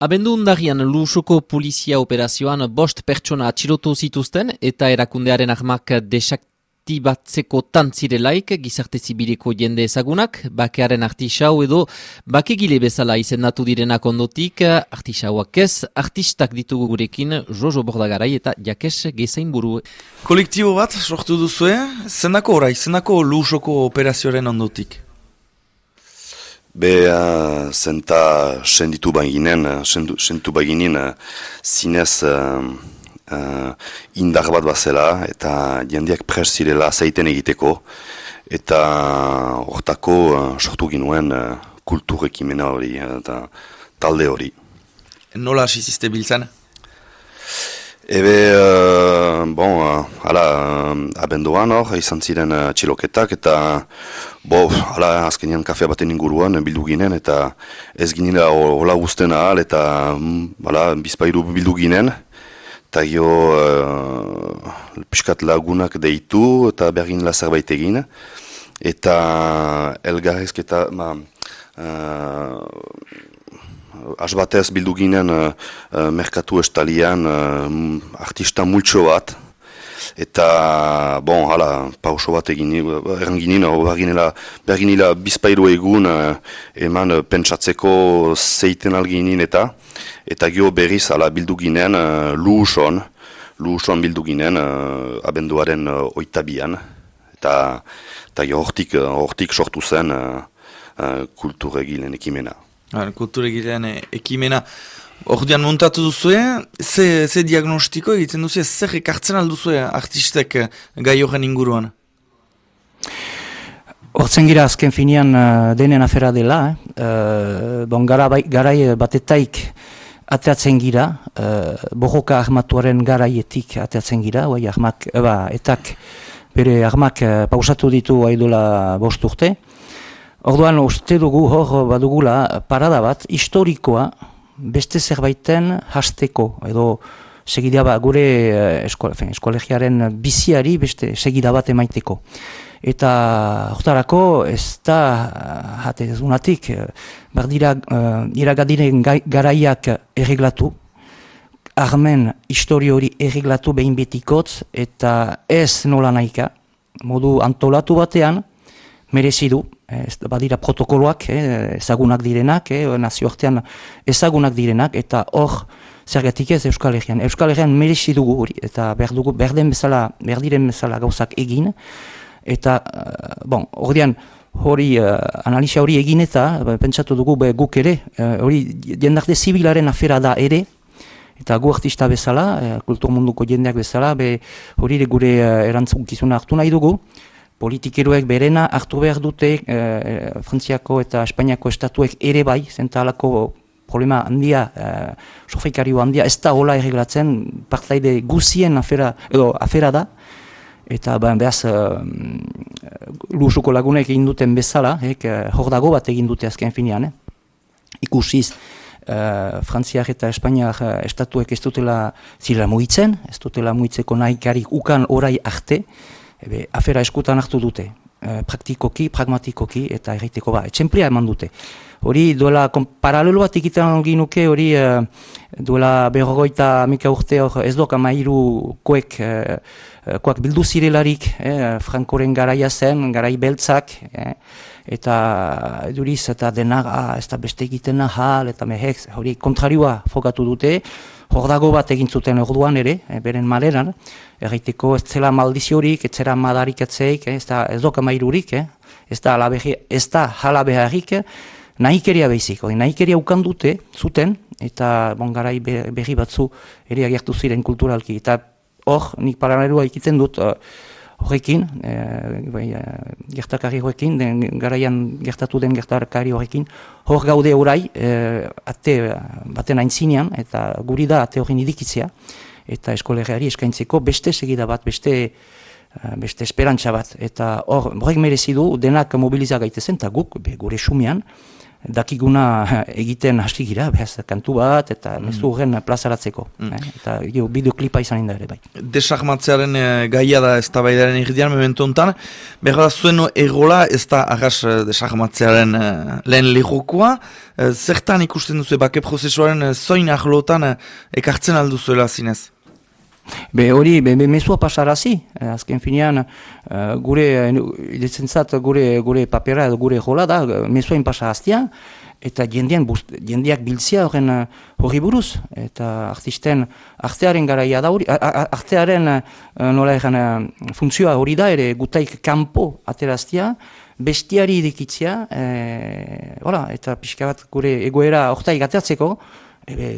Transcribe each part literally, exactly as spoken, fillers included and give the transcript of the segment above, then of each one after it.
Abendu undarrian Lusoko polizia operazioan bost pertsona atxilotu zituzten eta erakundearen armak desaktibatzeko tantzirelaik gizarte zibileko jende ezagunak, bakearen artisau edo bakegile bezala izendatu direnak ondotik, artisauak ez, artistak ditugu gurekin Jojo Bordagarai eta Jakes Gezainburu. Kolektibo bat sortu duzue, zendako orai, zendako Lusoko operazioaren ondotik? Be, uh, zenta senditu baginen, sendu, sentu baginen uh, zinez uh, uh, indar bat bazela eta jendeak pres zirela zaiten egiteko eta hortako uh, sortu ginuen uh, kultur ekimena hori eta talde hori. Nola hasi ziste biltzen? Ebe, uh, bon, uh, ala, uh, abenduan hor, izan ziren uh, txiloketak, eta, bo, ala, azkenean kafea baten inguruan bildu ginen, eta ez ginela hola guztien ahal, eta, um, ala, bizpairu bildu ginen, eta gio, uh, piskat lagunak deitu, eta berginela zerbait egin, eta elgarrezketa, ma, uh, Asbatez bildu ginen uh, uh, merkatu estalian uh, artista multxo bat, eta, bon, hala, pauso bat egin, eranginin, berginila bizpairu egun uh, eman uh, pentsatzeko zeiten alginin eta, eta gio berriz, hala, bildu ginen uh, Luuson, Luuson bildu ginen uh, abenduaren uh, oitabian, eta, eta gio hortik, uh, hortik sortu zen uh, uh, kulturegilen ekimena. Kulturegilean ekimena. Ordean montatu duzue, ze, ze diagnostiko egiten duzue, zer ekartzen alduzue artistek gai horren inguruan? Hortzen gira azken finean uh, denen afera dela, eh? uh, bon, gara, bai, garai batetaik ateatzen gira, uh, borroka armatuaren garaietik ateatzen gira, bai, armak, eba, etak bere armak uh, pausatu ditu aidola bost urte. Orduan, uste dugu hor badugula parada bat, historikoa beste zerbaiten hasteko, edo segida bat, gure esko, eskolegiaren biziari beste segida bat emaiteko. Eta hortarako ez da, hate ez unatik, bardira uh, iragadiren garaiak erreglatu, armen histori hori erreglatu behin betikotz, eta ez nola nahika, modu antolatu batean, merezi du, ez, badira protokoloak, eh, ezagunak direnak, eh, nazioartean ezagunak direnak, eta hor zergatik ez Euskal Herrian. Euskal Herrian merezi dugu hori, eta berdugu, berden bezala, berdiren bezala gauzak egin, eta, uh, bon, ordean, hori, uh, analisia hori egin eta, pentsatu dugu be, guk ere, uh, hori jendarte zibilaren afera da ere, eta gu artista bezala, uh, kultur munduko jendeak bezala, be, hori gure uh, erantzunkizuna hartu nahi dugu, politikeroek berena hartu behar dute, eh, Frantziako eta Espainiako estatuek ere bai, zentalako problema handia, eh, sofrikario handia, ez da hola erreglatzen, partaide guzien afera, edo afera da, eta ben, behaz eh, Lusuko lagunek egin duten bezala, eh, hor dago bat egin dute azken finean, eh. Ikusiz, eh, Frantziak eta Espainiak eh, estatuek ez dutela zirela mugitzen, ez dutela mugitzeko nahikarik ukan orai arte, Ebe, afera eskutan hartu dute, e, praktikoki, pragmatikoki, eta erraiteko ba, etxemplia eman dute. Hori duela, paralelo bat egiten ginuke, hori e, duela berrogoita mika urte hor ez doka mairu koek, e, koak bildu zirelarik, e, Frankoren garaia zen, garai beltzak, e, eta duriz eta denak, ah, ez da beste egiten nahal, eta mehek, hori kontrarioa fokatu dute, hor dago bat egin zuten orduan ere, e, beren maleran, erraiteko ez zela maldiziorik, ez zela madarik atzeik, ez da ez doka mairurik, eh? ez da jala beharrik, nahikeria behizik, nahikeria ukan dute, zuten, eta bon, garai berri batzu ere agertu ziren kulturalki. Eta hor, nik paralelua egiten dut horrekin, e, bai, gertakari horrekin, den, garaian gertatu den gertakari horrekin, hor gaude orai, e, ate baten aintzinean, eta guri da ate horren idikitzea, eta eskolegiari eskaintzeko beste segida bat, beste beste esperantza bat. Eta hor, horrek merezi du, denak mobiliza gaitezen, eta guk, be, gure sumean, dakiguna egiten hasi gira, behaz, kantu bat, eta mm. mezu horren plazaratzeko. Mm. Eh? Eta jo, bideoklipa izan inda ere, bai. Desahmatzearen e, gaia da ez da baidaren egidean, memento honetan, behar da zuen egola ez da arras desahmatzearen e, lehen lehokoa, e, zertan ikusten duzu, bake prozesuaren e, zoin ahlotan e, ekartzen alduzuela zinez? Be hori, be, be mesua pasarazi, eh, azken finean, uh, gure, irezentzat, gure, gure papera edo gure jola da, mesuain pasahaztia, eta jendean, bust, jendeak biltzia horren uh, hori buruz, eta artisten, artearen garaia da hori, artearen uh, nola egan uh, funtzioa hori da, ere gutaik kanpo ateraztia, bestiari idikitzia, eh, hola, eta pixka bat gure egoera hortaik ateratzeko, Ebe,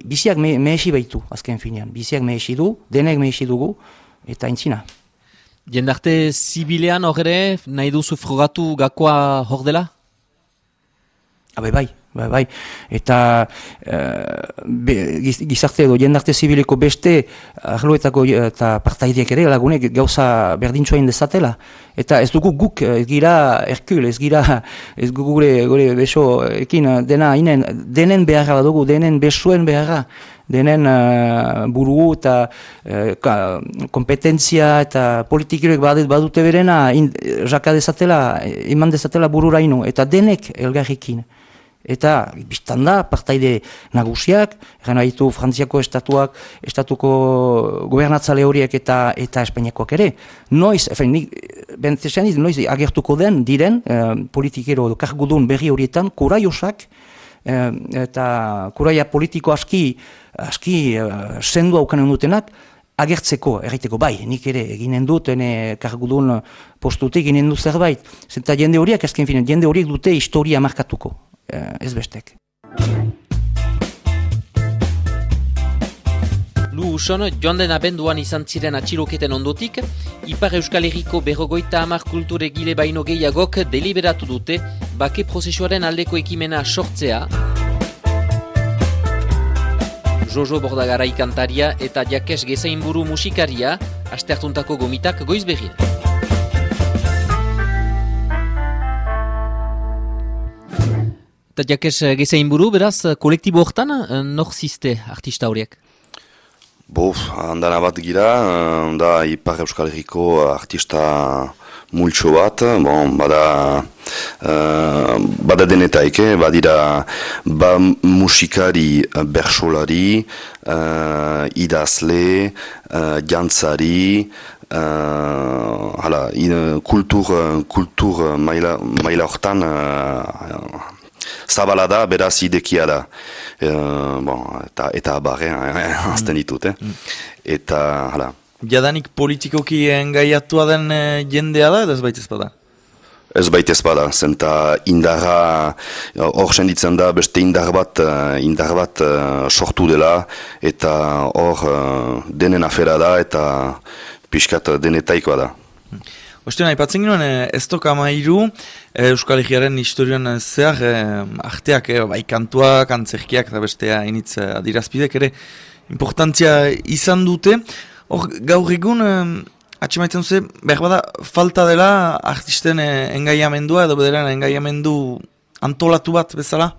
biziak me, mehesi baitu, azken finean. Biziak mehesi du, denek mehesi dugu, eta intzina. Jendarte zibilean horre, nahi duzu frogatu gakoa hor dela? Abe bai, bai, bai. Eta uh, be, gizarte edo jendarte zibileko beste arloetako eta partaideek ere lagunek gauza berdintxoa indezatela. Eta ez dugu guk, ez gira Herkul, ez gira, ez gure, gure besoekin dena inen, denen beharra badugu, denen besoen beharra, denen uh, buru eta uh, kompetentzia eta politikiroek badute berena, in, jaka dezatela, iman dezatela bururaino, eta denek elgarrikin. Eta, biztan da, partaide nagusiak, eran haitu Frantziako estatuak, estatuko gobernatzale horiek eta eta Espainiakoak ere. Noiz, efen, nik, bentezen, noiz agertuko den, diren, eh, politikero edo kargudun berri horietan, kuraiosak, eh, eta kuraia politiko aski, aski eh, sendu haukanen dutenak, agertzeko, erraiteko, bai, nik ere eginen dut, ene kargudun postutik eginen dut zerbait. Zenta jende horiek, azken finen, jende horiek dute historia markatuko. Ez bestek. Lu uson, joan den abenduan izan ziren atxiloketen ondotik, Ipar Euskal Herriko berrogoita hamar kulture gile baino gehiagok deliberatu dute bake prozesuaren aldeko ekimena sortzea. Jojo Bordagarai kantaria eta Jakes Gezainburu musikaria, asteartuntako gomitak goiz berrien. Eta Jakes Gezainburu, beraz, kolektibo hortan, nor ziste artista horiek? Bof, handana bat gira, da Ipar Euskal Herriko artista multxo bat, bon, bada, uh, bada denetaik, eh? Badira ba musikari, bersolari, uh, idazle, uh, jantzari, uh, hala, in, kultur, kultur maila, maila hortan, uh, zabala da, beraz idekia da. E, bon, eta eta barre, azten ditut, eh? Mm. Eta, hala. Jadanik politikoki engaiatua den e, jendea da, edo ez baitez bada? Ez baitez bada, zenta indarra, hor senditzen da, beste indar bat, indar bat uh, sortu dela, eta hor uh, denen afera da, eta pixkat denetaikoa da. Mm. Osten, aipatzen ginoen, ez toka mairu, Euskal Herriaren historian zehar, arteak, bai kantuak, antzerkiak, eta bestea initz adirazpidek, ere, importantzia izan dute. Hor, gaur egun, atxemaiten duze, behar bada, falta dela artisten engaiamendua, edo bederen engaiamendu antolatu bat bezala?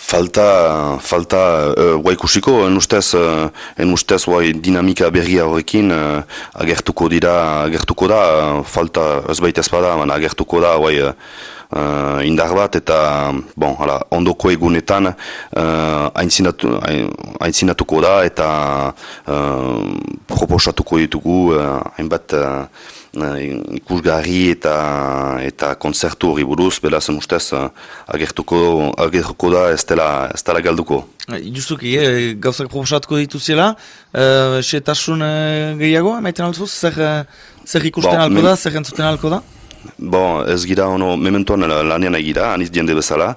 Falta, falta, uh, guaikusiko, en ustez, uh, en ustez, guai, dinamika berria horrekin, uh, agertuko dira, agertuko da, uh, falta, ez baitez bada, man, agertuko da, guai, uh, indar bat, eta, bon, hala, ondoko egunetan, uh, aintzinatu, aintzinatuko da, eta uh, proposatuko ditugu, uh, hainbat, uh, ikusgarri eta eta kontzertu hori buruz, belazen ustez agertuko, agertuko da ez dela, ez dela galduko. Justuki, eh, gauzak proposatuko dituziela, eh, setasun eh, gehiago, emaiten altzuz, zer, zer ikusten bon, alko da, zer entzuten alko da? Bon, ez gira, ono, mementoan lanean egira, aniz jende bezala,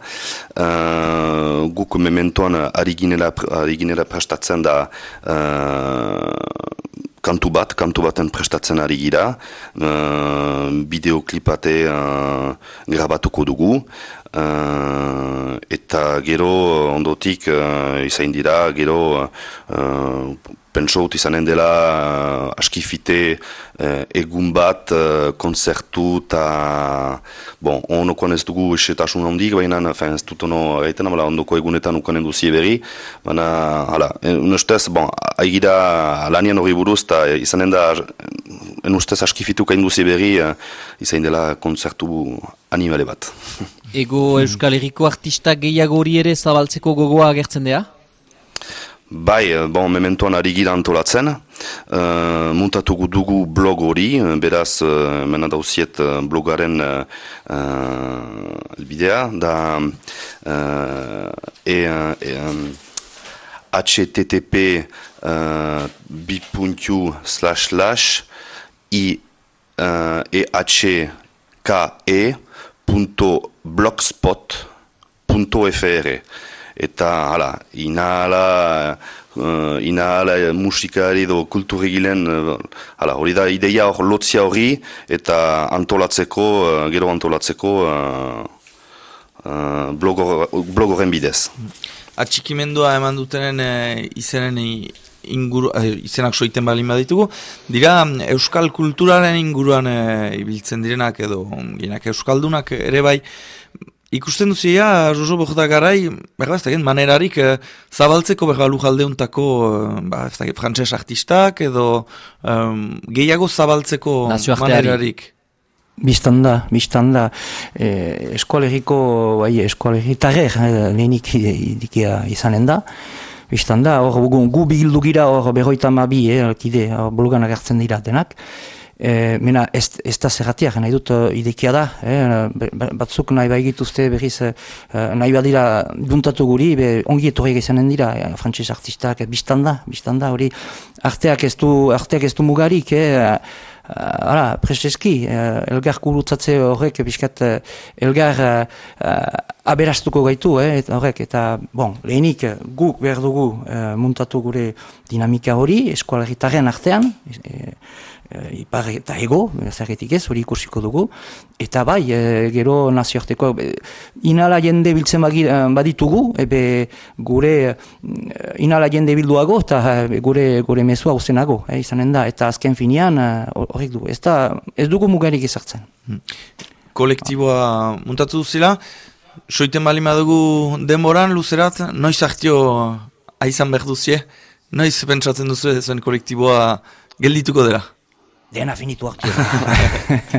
uh, guk mementoan ari ginela, ari ginela prestatzen da uh, kantu bat, kantu baten prestatzen ari gira, uh, bideoklipate uh, grabatuko dugu, uh, eta gero ondotik uh, izain dira, gero uh, pentsaut izanen dela uh, askifite uh, egun bat, uh, konzertu eta bon, onokoan ez dugu esetasun handik, baina ez dut ono gaiten, ondoko egunetan ukanen duzie berri, baina, hala, en ustez, bon, aigira lanian hori buruz, eta izanen da, en ustez askifitu kain duzie berri, uh, izain dela konzertu animale bat. Ego Euskal Herriko artista gehiago hori ere zabaltzeko gogoa agertzen dea? Bai, bon, mementoan ari gira antolatzen, uh, muntatugu dugu blog hori, beraz, uh, mena dauziet uh, blogaren uh, elbidea, da uh, e, e, um, H T T P uh, bi puntu slash slash i uh, e h k e punto blogspot punto f r. Eta, hala, inahala, uh, inahala musikari edo kulturregilen, uh, hala, hori da ideia hor lotzia hori, eta antolatzeko, uh, gero antolatzeko uh, uh, blogoren bidez. Atxikimendua eman dutenen e, izenen inguru, e, izenak soiten balin baditugu, dira euskal kulturaren inguruan e, ibiltzen direnak edo ginak euskaldunak ere bai. Ikusten duzia, Jojo Bojota garai, berba ez dakit, manerarik eh, zabaltzeko berba lujaldeuntako eh, ba, ez dakit, frantses artistak edo um, gehiago zabaltzeko manerarik. Bistan da, bistan da. Eh, eskolegiko, bai, eskolegitarrer, eh, lehenik idikia izanen da. Bistan da, hor gu, gu bildu gira hor berroita mabi, eh, kide, blogan agertzen dira denak. E, mena ez, ez da zerratiak, nahi dut uh, idekia da, eh? Batzuk nahi baigituzte berriz uh, nahi badira duntatu guri, be, ongi etorriak izanen dira, eh? Frantses artistak, biztanda, biztanda, hori arteak ez du, arteak ez du mugarik, eh? Hala, uh, preseski, uh, elgar kurutzatze horrek, biskat, uh, elgar uh, uh, aberastuko gaitu, eh? Et, horrek, eta, bon, lehenik guk behar dugu uh, muntatu gure dinamika hori, eskolarritaren artean, e, ipar eta ego, zerretik ez, hori ikusiko dugu, eta bai, e, gero nazioarteko, e, inala jende biltzen baditugu, ebe gure inala jende bilduago, eta e, gure, gure mesua uzenago, e, izanen da, eta azken finean horrek du, ez, da, ez dugu mugarik ezartzen. Hmm. Kolektiboa muntatu duzila, soiten bali madugu denboran, luzerat, noiz hartio aizan behar duzie, noiz pentsatzen duzu zuen kolektiboa geldituko dela? Dena finitu hartu.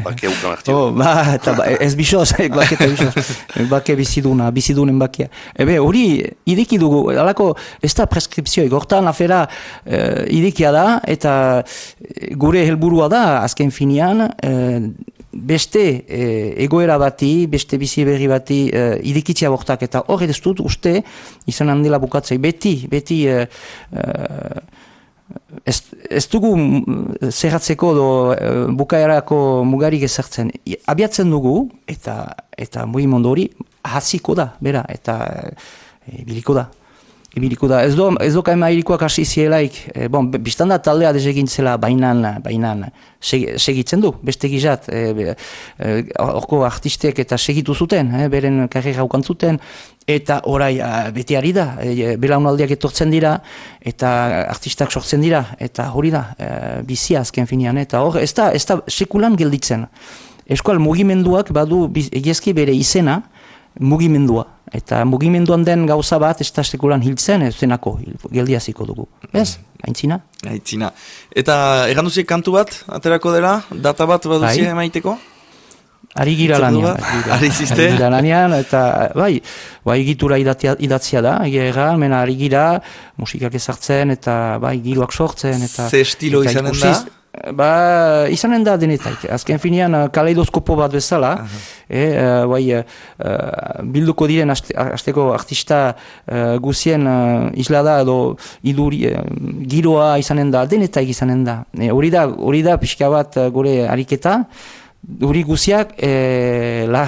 Bake ukan hartu. Oh, ba, eta ba, ez bisoz, bake eta bisoz. Bake biziduna, bizidunen bakia. Ebe, hori ideki dugu, alako, ez da preskripzioik, hortan afera uh, idekia da, eta gure helburua da, azken finean, uh, beste uh, egoera bati, beste bizi berri bati uh, idekitzia bortak, eta hori ez dut uste, izan handela bukatzei, beti, beti... Uh, uh, Ez, ez dugu zerratzeko do bukaerako mugarik ezartzen. Abiatzen dugu, eta eta mugimendu hori hasiko da, bera, eta e, biliko da. Ibiliko da. Ez do, ez do kaima irikoak hasi zielaik, e, bon, biztan da taldea desegintzela bainan, bainan segitzen du, beste gizat, e, e, orko artistek eta segitu zuten, e, beren karrera ukantzuten, eta orai beti ari da, e, belaunaldiak etortzen dira, eta artistak sortzen dira, eta hori da, e, bizia azken finean, eta hor, ez da, ez da sekulan gelditzen. Eskual mugimenduak badu egiezki bere izena, mugimendua. Eta mugimenduan den gauza bat ez da sekulan hiltzen, ez zenako, geldiaziko dugu. Ez? Aintzina? Aintzina. Eta egan duziek kantu bat, aterako dela, data bat baduzie emaiteko? Ari gira lanian. Ari ziste? Ari gira lanian, eta bai, bai egitura idatzia da, egia mena ari gira, musikak ezartzen, eta bai, giroak sortzen, eta... Ze estilo izanen da? Ba, izanen da denetaik. Azken finean, kaleidoskopo bat bezala, e, uh, bai, uh, bilduko diren hasteko artista uh, guzien uh, islada edo iduri, uh, giroa izanen da, denetaik izanen da. Hori e, da, hori da pixka bat uh, gure ariketa, hori guziak e, la,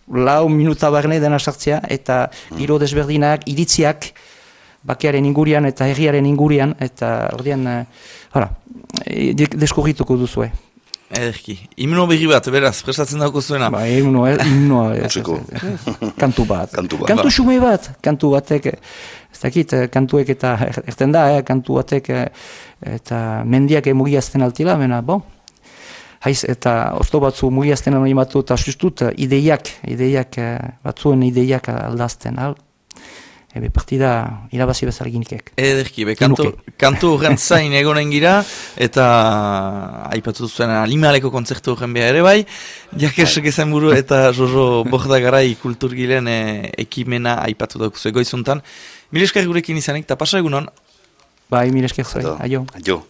lau minuta barne dena sartzea, eta giro desberdinak, iritziak, bakearen ingurian eta herriaren ingurian, eta ordean, uh, hala, deskurrituko duzue. Ederki. Himno berri bat, beraz, prestatzen dauko zuena. Ba, himno, himno. Kantu bat. Kantu bat. Kantu xume bat. Kantu batek, ez dakit, kantuek eta, erten da, eh, kantu batek, eta mendiak mugiazten altila, mena, bon. Haiz, eta osto batzu mugiazten alai batu, eta sustut, ideiak, ideiak, batzuen ideiak aldazten, al. Ebe partida irabazi bezarginikek. Ederki, be, kantu, kantu horren zain egonen gira, eta aipatu zuen Alimaleko kontzertu horren beha ere bai, Jakesek ezen buru eta Jojo Bordagarai kulturgilen e, ekimena aipatu dauk zuen goizuntan. Mil esker gurekin izanik, eta pasa egunon? Bai, mil esker zuen, aio. Aio.